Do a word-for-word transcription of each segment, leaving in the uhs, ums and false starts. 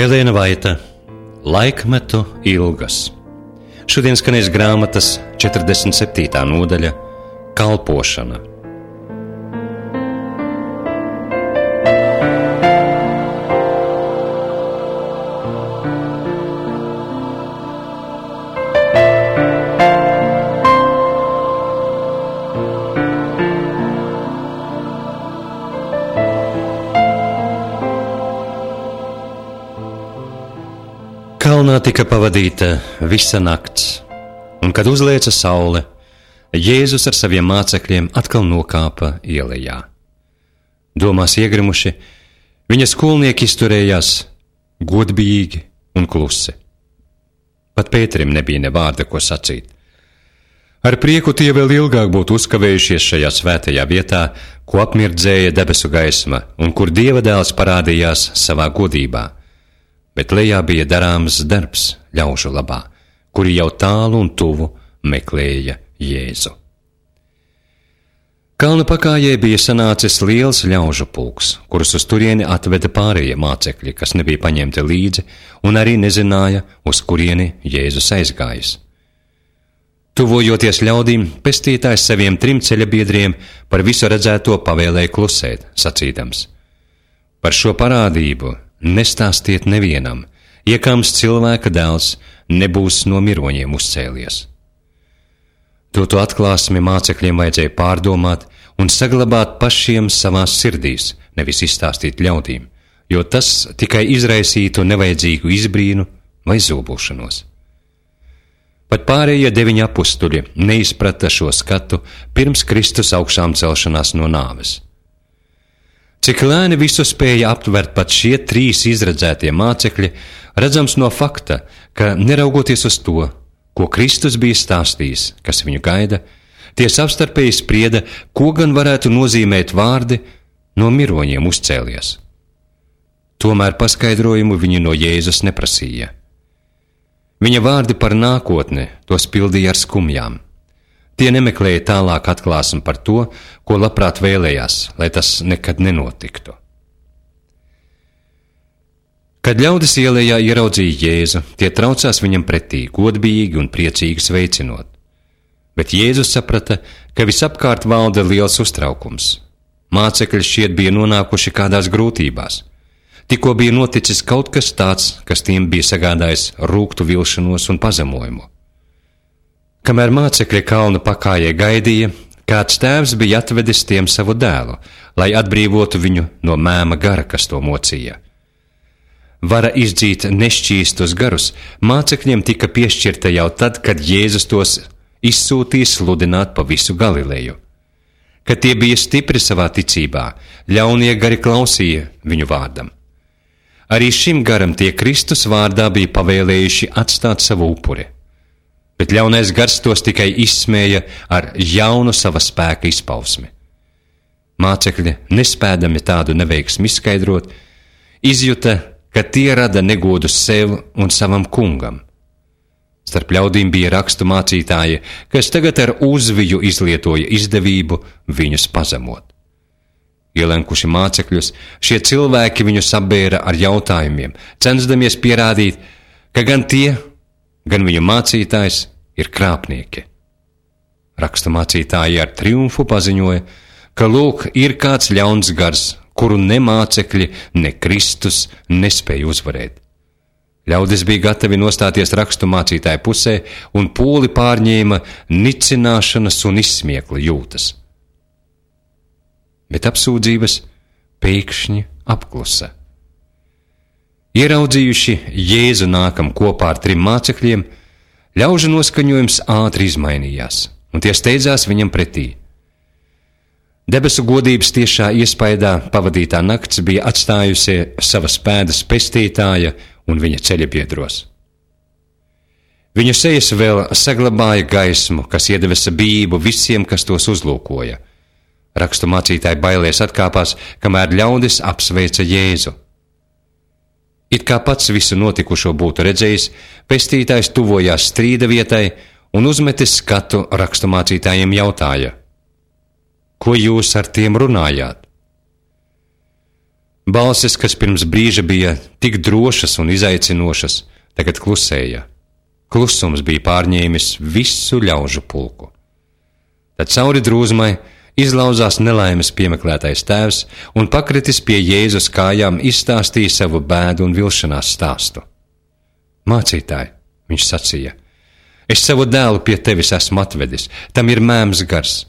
Elēna Vaita, Laikmetu ilgas. Šodien skanēs grāmatas četrdesmit septītā nodaļa Kalpošana. Kalnā tika pavadīta visa nakts, un, kad uzlieca saule, Jēzus ar saviem mācekļiem atkal nokāpa ielejā. Domās iegrimuši, viņa skolnieki izturējās godbijīgi un klusi. Pat Pēterim nebija ne vārda, ko sacīt. Ar prieku tie vēl ilgāk būtu uzkavējušies šajā svētajā vietā, ko apmirdzēja debesu gaisma un kur Dieva dēls parādījās savā godībā. Bet lejā bija darāms darbs ļaužu labā, kuri jau tālu un tuvu meklēja Jēzu. Kalna pakājē bija sanācis liels ļaužu pulks, kurus uz turieni atveda pārējie mācekļi, kas nebija paņemti līdzi un arī nezināja, uz kurieni Jēzus aizgājis. Tuvojoties ļaudīm, pestītājs saviem trim ceļabiedriem par visu redzēto pavēlēja klusēt, sacīdams: par šo parādību nestāstiet nevienam, iekams cilvēka dēls nebūs no miroņiem uzcēlies. Doto atklāsmi mācekļiem vajadzēja pārdomāt un saglabāt pašiem savās sirdīs, nevis izstāstīt ļaudīm, jo tas tikai izraisītu nevajadzīgu izbrīnu vai zobulšanos. Pat pārējie deviņi apustuļi neizprata šo skatu pirms Kristus augšām celšanās no nāves. Cik lēni visu spēja aptvert pat šie trīs izredzētie mācekļi, redzams no fakta, ka neraugoties uz to, ko Kristus bija stāstījis, kas viņu gaida, tie savstarpēji sprieda, ko gan varētu nozīmēt vārdi no miroņiem uzcēlies. Tomēr paskaidrojumu viņi no Jēzus neprasīja. Viņa vārdi par nākotni tos pildīja ar skumjām. Tie nemeklēja tālāk atklāsmi par to, ko labprāt vēlējās, lai tas nekad nenotiktu. Kad ļaudis ielejā ieraudzīja Jēzu, tie traucās viņam pretī, godbijīgi un priecīgi sveicinot. Bet Jēzus saprata, ka visapkārt valda liels uztraukums. Mācekļi šķiet bija nonākuši kādās grūtībās. Tikko bija noticis kaut kas tāds, kas tiem bija sagādājis rūgtu vilšanos un pazemojumu. Kamēr mācekļi kalnu pakājē gaidīja, kāds tēvs bija atvedis tiem savu dēlu, lai atbrīvotu viņu no mēma gara, kas to mocīja. Vara izdzīt nešķīstus garus mācekļiem tika piešķirta jau tad, kad Jēzus tos izsūtīja sludināt pa visu Galileju. Kad tie bija stipri savā ticībā, ļaunie gari klausīja viņu vārdam. Arī šim garam tie Kristus vārdā bija pavēlējuši atstāt savu upuri. Bet ļaunais gars tos tikai izsmēja ar jaunu sava spēka izpausmi. Mācekļi, nespēdami tādu neveiksmi izskaidrot, izjuta, ka tie rada negodu sev un savam kungam. Starp ļaudīm bija rakstu mācītāji, kas tagad ar uzviju izlietoja izdevību viņus pazemot. Ielenkuši mācekļus, šie cilvēki viņus apbēra ar jautājumiem, censdamies pierādīt, ka gan tie, gan viņu mācītājs ir krāpnieki. Raksta mācītāji ar triumfu paziņoja, ka lūk ir kāds ļauns gars, kuru ne mācekļi, ne Kristus nespēja uzvarēt. Ļaudis bija gatavi nostāties rakstu mācītāju pusē un pūli pārņēma nicināšanas un izsmiekla jūtas. Bet apsūdzības pēkšņi apklusa. Ieraudzījuši Jēzu nākam kopā ar trim mācekļiem, ļaužu noskaņojums ātri izmainījās, un tie steidzās viņam pretī. Debesu godības tiešā iespaidā pavadītā nakts bija atstājusi savas pēdas pestītāja un viņa ceļabiedros. Viņu sejas vēl saglabāja gaismu, kas iedevesa bijību visiem, kas tos uzlūkoja. Rakstu mācītāji bailēs atkāpās, kamēr ļaudis apsveica Jēzu. It kā pats visu notikušo būtu redzējis, pestītājs tuvojās strīda vietai un uzmetis skatu rakstu mācītājiem jautāja: ko jūs ar tiem runājāt? Balsis, kas pirms brīža bija tik drošas un izaicinošas, tagad klusēja. Klusums bija pārņēmis visu ļaužu pulku. Tad cauri drūzmai izlauzās nelaimes piemeklētais tēvs un pakritis pie Jēzus kājām izstāstīja savu bēdu un vilšanās stāstu. Mācītāji, viņš sacīja, es savu dēlu pie tevis esmu atvedis, tam ir mēms gars,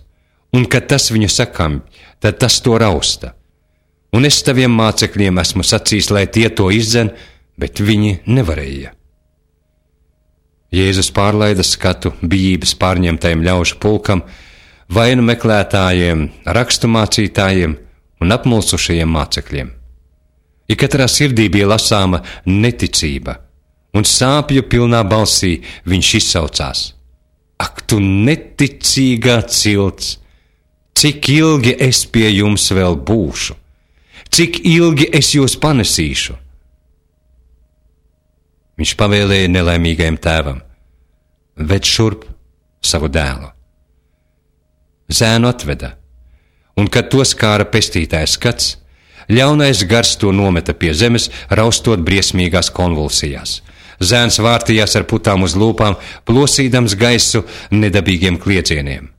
un kad tas viņu sakam, tad tas to rausta. Un es taviem mācekļiem esmu sacījis, lai tie to izdzen, bet viņi nevarēja. Jēzus pārlaida skatu bijības pārņemtajiem ļaužu pulkam, vainu meklētājiem, rakstu mācītājiem un apmulsušajiem mācekļiem. Ja katrā sirdī bija lasāma neticība, un sāpju pilnā balsī viņš izsaucās: Ak, tu neticīgā cilts! Cik ilgi es pie jums vēl būšu? Cik ilgi es jūs panesīšu? Viņš pavēlēja nelaimīgajam tēvam: Ved šurp savu dēlu. Zēnu atveda, un kad to skāra pestītājs skats, ļaunais gars to nometa pie zemes, raustot briesmīgās konvulsijās. Zēns vārtījās ar putām uz lūpām, plosīdams gaisu nedabīgiem kliecieniem.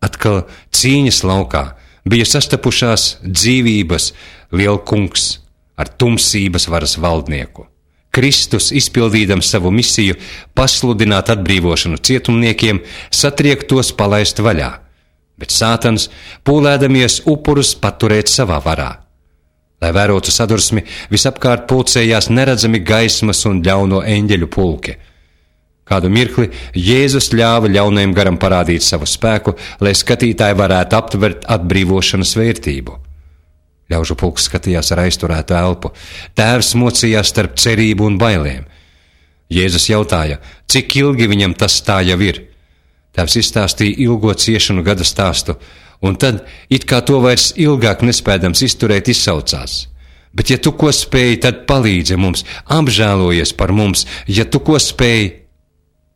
Atkal cīņas laukā bija sastapušās dzīvības lielkungs ar tumsības varas valdnieku. Kristus, izpildīdams savu misiju, pasludināt atbrīvošanu cietumniekiem, satriek tos palaist vaļā, bet Sātans, pūlēdamies upurus paturēt savā varā. Lai vērotu sadursmi, visapkārt pulcējās neredzami gaismas un ļauno eņģeļu pulki. Kādu mirkli Jēzus ļāva ļaunajam garam parādīt savu spēku, lai skatītāji varētu aptvert atbrīvošanas vērtību. Ļaužu pulks skatījās ar aizturētu elpu. Tēvs mocījās starp cerību un bailēm. Jēzus jautāja, cik ilgi viņam tas tā jau ir. Tēvs izstāstīja ilgo ciešanu gada stāstu, un tad, it kā to vairs ilgāk nespēdams izturēt, izsaucās: Bet ja tu ko spēji, tad palīdzi mums, apžēlojies par mums, ja tu ko spēji.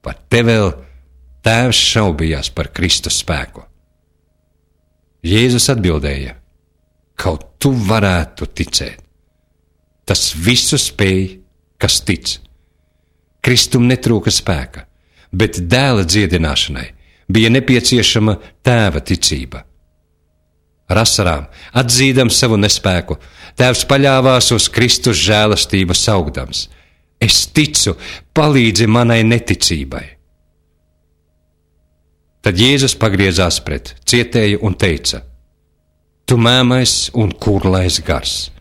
Par te vēl tēvs šaubījās par Kristus spēku. Jēzus atbildēja: Kaut tu varētu ticēt. Tas visu spēj, kas tic. Kristum netrūka spēka, bet dēla dziedināšanai bija nepieciešama tēva ticība. Ar asarām, atzīdams savu nespēku, tēvs paļāvās uz Kristus žēlastību saugdams: Es ticu, palīdzi manai neticībai. Tad Jēzus pagriezās pret cietēju un teica: Tu mēmais un kurlais gars,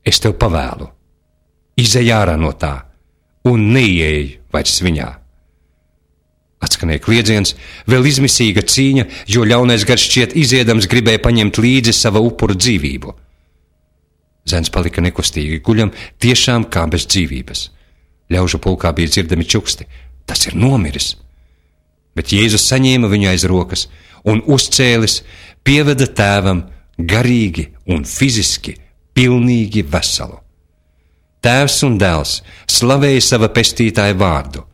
es tev pavēlu, izej ārā no tā un neieej vairs viņā. Atskanēja kliedziens, vēl izmisīga cīņa, jo ļaunais gars šķiet iziedams gribēja paņemt līdzi sava upura dzīvību. Zēns palika nekustīgi guļam, tiešām kā bez dzīvības. Ļaužu pulkā bija dzirdami čuksti: Tas ir nomiris. Bet Jēzus saņēma viņu aiz rokas un uzcēlis, pieveda tēvam garīgi un fiziski pilnīgi veselu. Tēvs un dēls slavēja sava pestītāja vārdu.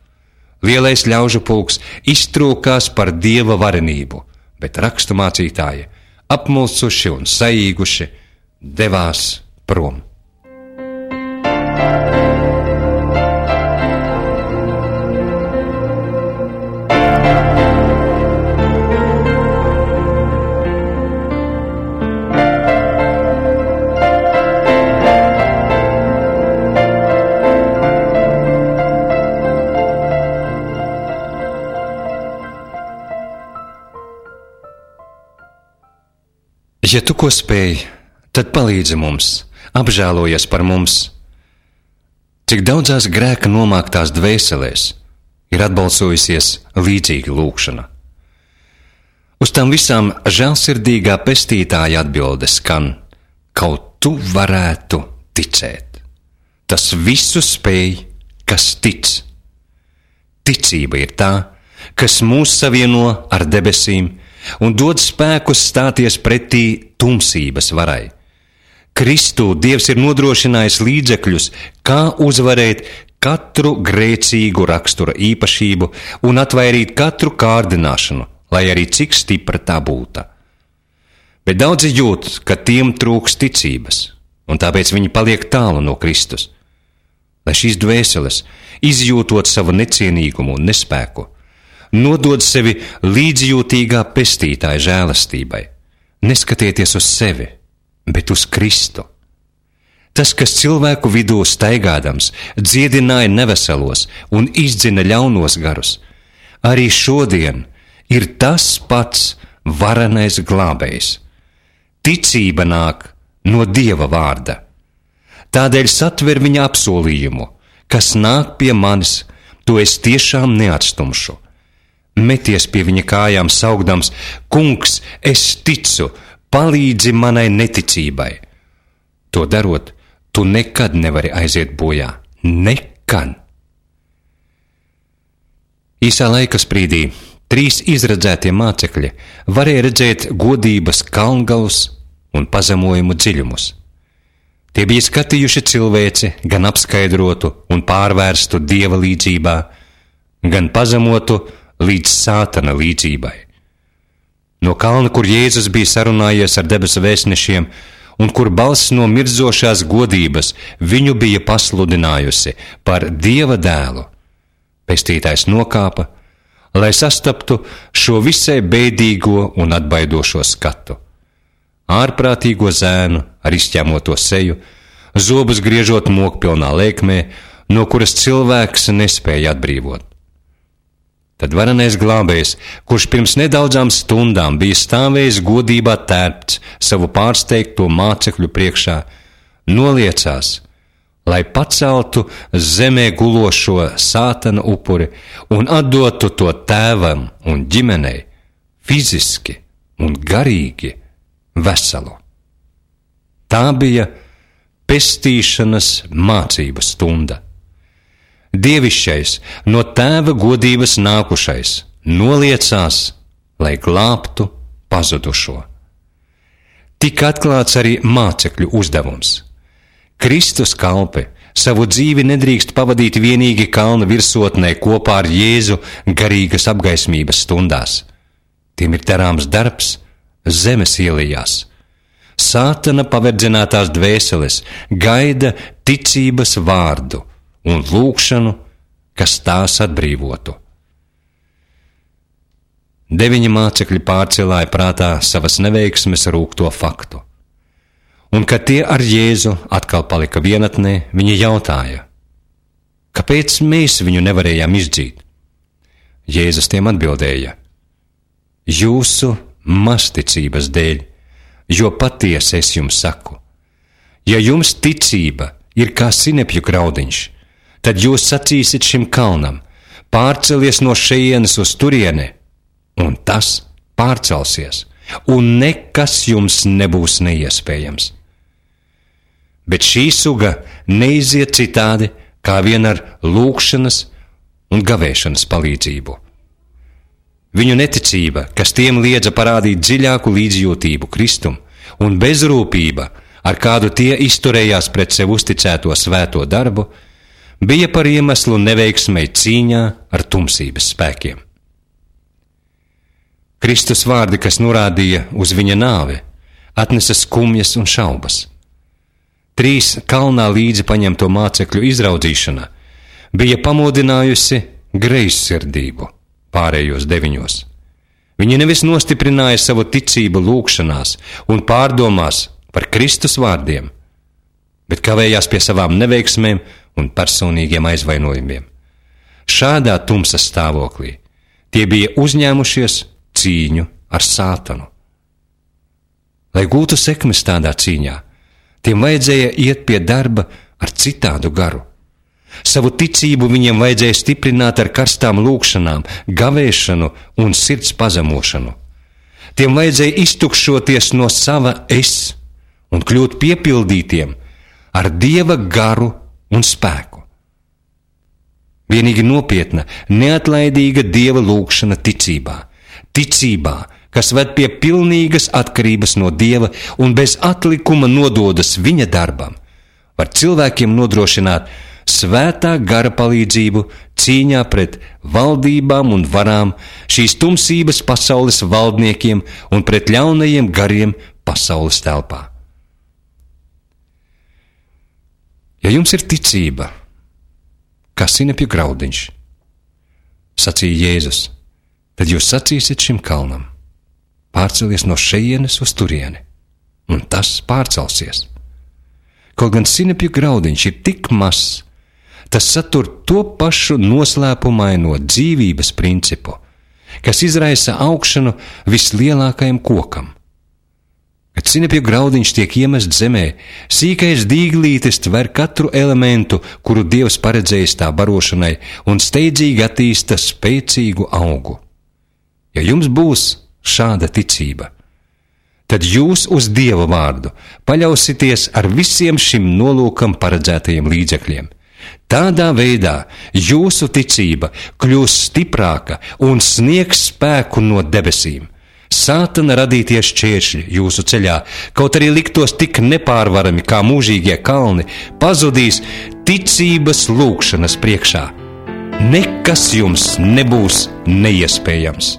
Lielais ļaužu pulks iztrūkās par Dieva varenību, bet rakstu mācītāji, apmulsuši un saīguši, devās prom. Ja tu ko spēj, tad palīdzi mums, apžēlojies par mums. Cik daudzās grēka nomāktās dvēselēs ir atbalsojusies līdzīga lūkšana. Uz tām visām žēlsirdīgā pestītāja atbilde skan: Kaut tu varētu ticēt. Tas visu spēj, kas tic. Ticība ir tā, kas mūs savieno ar debesīm un dod spēkus stāties pretī tumsības varai. Kristū Dievs ir nodrošinājis līdzekļus, kā uzvarēt katru grēcīgu rakstura īpašību un atvairīt katru kārdināšanu, lai arī cik stipra tā būtu. Bet daudzi jūt, ka tiem trūks ticības, un tāpēc viņi paliek tālu no Kristus. Lai šīs dvēseles, izjūtot savu necienīgumu un nespēku, nodod sevi līdzjūtīgā pestītāja žēlastībai. Neskatieties uz sevi, bet uz Kristu. Tas, kas cilvēku vidū staigādams, dziedināja neveselos un izdzina ļaunos garus, arī šodien ir tas pats varenais glābējs. Ticība nāk no Dieva vārda. Tādēļ satver viņa apsolījumu, kas nāk pie manis, to es tiešām neatstumšu. Meties pie viņa kājām saugdams: Kungs, es ticu, palīdzi manai neticībai. To darot, tu nekad nevari aiziet bojā. Nekad. Īsā laika sprīdī trīs izredzētie mācekļi varēja redzēt godības kalngalus un pazemojumu dziļumus. Tie bija skatījuši cilvēci, gan apskaidrotu un pārvērstu Dieva līdzībā, gan pazemotu līdz Sātana līdzībai. No kalna, kur Jēzus bija sarunājies ar debesu vēstnešiem, un kur balss no mirdzošās godības viņu bija pasludinājusi par Dieva dēlu, pestītājs nokāpa, lai sastaptu šo visai bēdīgo un atbaidošo skatu. Ārprātīgo zēnu ar izķēmoto seju, zobus griežot mokpilnā lēkmē, no kuras cilvēks nespēja atbrīvot. Tad varenais glābējs, kurš pirms nedaudzām stundām bija stāvējis godībā tērpts savu pārsteigto mācekļu priekšā, noliecās, lai paceltu zemē gulošo Sātana upuri un atdotu to tēvam un ģimenei fiziski un garīgi veselu. Tā bija pestīšanas mācību stunda. Dievišķais, no tēva godības nākušais, noliecās, lai glābtu pazudušo. Tik atklāts arī mācekļu uzdevums. Kristus kalpi savu dzīvi nedrīkst pavadīt vienīgi kalna virsotnē kopā ar Jēzu garīgas apgaismības stundās. Tiem ir darāms darbs zemes ielījās. Sātana paverdzinātās dvēseles gaida ticības vārdu un lūgšanu, kas tās atbrīvotu. Deviņi mācekļi pārcilāja prātā savas neveiksmes rūgto faktu. Un, kad tie ar Jēzu atkal palika vienatnē, viņi jautāja: kāpēc mēs viņu nevarējām izdzīt? Jēzus tiem atbildēja: jūsu mazticības dēļ, jo patiesi es jums saku, ja jums ticība ir kā sinepju graudiņš, tad jūs sacīsiet šim kalnam: pārcelies no šejienes uz turieni, un tas pārcelsies, un nekas jums nebūs neiespējams. Bet šī suga neiziet citādi, kā vien ar lūgšanas un gavēšanas palīdzību. Viņu neticība, kas tiem liedza parādīt dziļāku līdzjūtību Kristum, un bezrūpība, ar kādu tie izturējās pret sev uzticēto svēto darbu, bija par iemeslu neveiksmei cīņā ar tumsības spēkiem. Kristus vārdi, kas norādīja uz viņa nāvi, atnesa skumjas un šaubas. Trīs kalnā līdzi paņemto mācekļu izraudzīšana bija pamodinājusi greizsirdību pārējos deviņos. Viņi nevis nostiprināja savu ticību lūgšanās un pārdomās par Kristus vārdiem, bet kavējās pie savām neveiksmēm un personīgiem aizvainojumiem. Šādā tumsas stāvoklī tie bija uzņēmušies cīņu ar Sātanu. Lai gūtu sekmes tādā cīņā, tiem vajadzēja iet pie darba ar citādu garu. Savu ticību viņiem vajadzēja stiprināt ar karstām lūgšanām, gavēšanu un sirds pazemošanu. Tiem vajadzēja iztukšoties no sava es un kļūt piepildītiem ar Dieva garu un spēku. Vienīgi nopietna, neatlaidīga Dieva lūgšana ticībā, ticībā, kas ved pie pilnīgas atkarības no Dieva un bez atlikuma nododas viņa darbam, var cilvēkiem nodrošināt svētā gara palīdzību cīņā pret valdībām un varām, šīs tumsības pasaules valdniekiem un pret ļaunajiem gariem pasaules telpā. Ja jums ir ticība, kā sinepju graudiņš, sacīja Jēzus, tad jūs sacīsiet šim kalnam: pārcelies no šejienes uz turieni, un tas pārcelsies. Kaut gan sinepju graudiņš ir tik mazs, tas satur to pašu noslēpumaino dzīvības principu, kas izraisa augšanu vislielākajam kokam. Kad sinepju graudiņš tiek iemest zemē, sīkais dīglītis tver katru elementu, kuru Dievs paredzējis tā barošanai, un steidzīgi attīsta spēcīgu augu. Ja jums būs šāda ticība, tad jūs uz Dieva vārdu paļausieties ar visiem šim nolūkam paredzētajiem līdzekļiem. Tādā veidā jūsu ticība kļūs stiprāka un sniegs spēku no debesīm. Sātana radītie šķēršļi jūsu ceļā, kaut arī liktos tik nepārvarami kā mūžīgie kalni, pazudīs ticības lūgšanas priekšā. Nekas jums nebūs neiespējams.